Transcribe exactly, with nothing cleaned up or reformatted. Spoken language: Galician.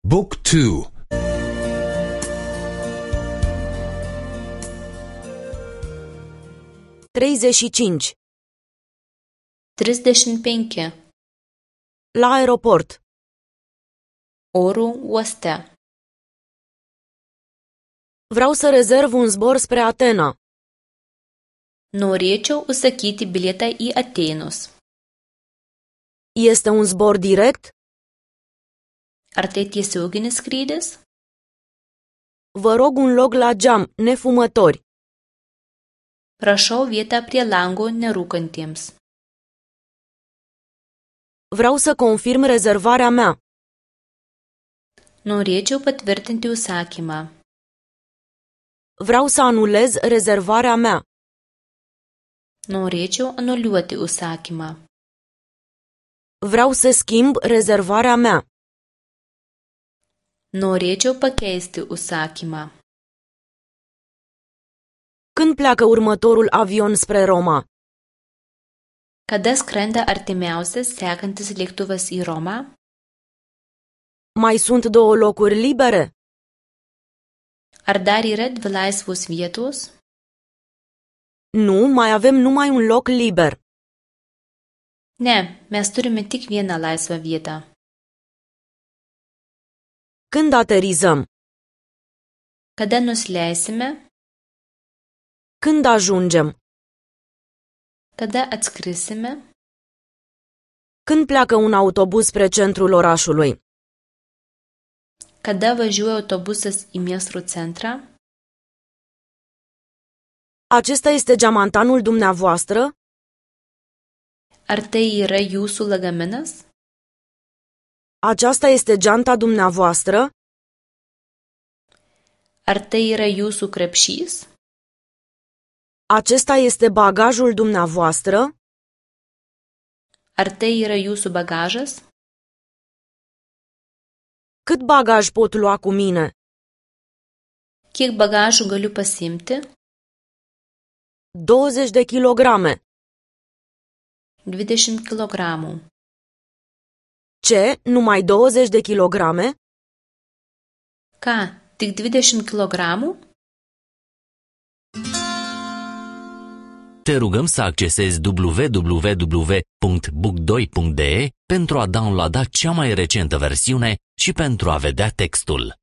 Book two. treizeci și cinci. trisdešimt penki. La aeroport. Oro uoste. Vreau să rezerv un zbor spre Atena. Norėčiau užsakyti bilietą į Atėnus. Este un zbor direct? Ar tai tiesioginis skrydis? Vă rog un loc la geam, nefumători. Prašau vietą prie lango nerūkantiems. Vreau să confirm rezervarea mea. Norėčiau patvirtinti užsakymą. Vreau să anulez rezervarea mea. Norėčiau anuliuoti užsakymą. Vreau să schimb rezervarea mea. Norėčiau pakeisti užsakymą. Când pleacă următorul avion spre Roma? Kada skrenda artimiausias sekantis lėktuvas į Romą? Mai sunt două locuri libere? Ar dar yra dvi laisvos vietos? Nu, mai avem numai un loc liber. Ne, mes turime tik vieną laisvą vietą. Când aterizăm? Kada nusileisime? Când ajungem? Kada atskrisime? Când pleacă un autobuz spre centrul orașului? Kada važiuoja autobusas į miesto centrą? Acesta este geamantanul dumneavoastră? Ar tai yra jūsų lagaminas? Aceasta este geanta dumneavoastră? Ar tai yra jūsų krepšys? Acesta este bagajul dumneavoastră? Ar tai yra jūsų bagažas? Cât bagaj pot lua cu mine? Kiek bagažų galiu pasiimti? douăzeci de kilograme. dvidešimt kilogramų. Ce? Numai douăzeci de kilograme? Ką, tik dvidešimt kilogramų? Te rugăm să accesezi w w w punct book doi punct d e pentru a downloada cea mai recentă versiune și pentru a vedea textul.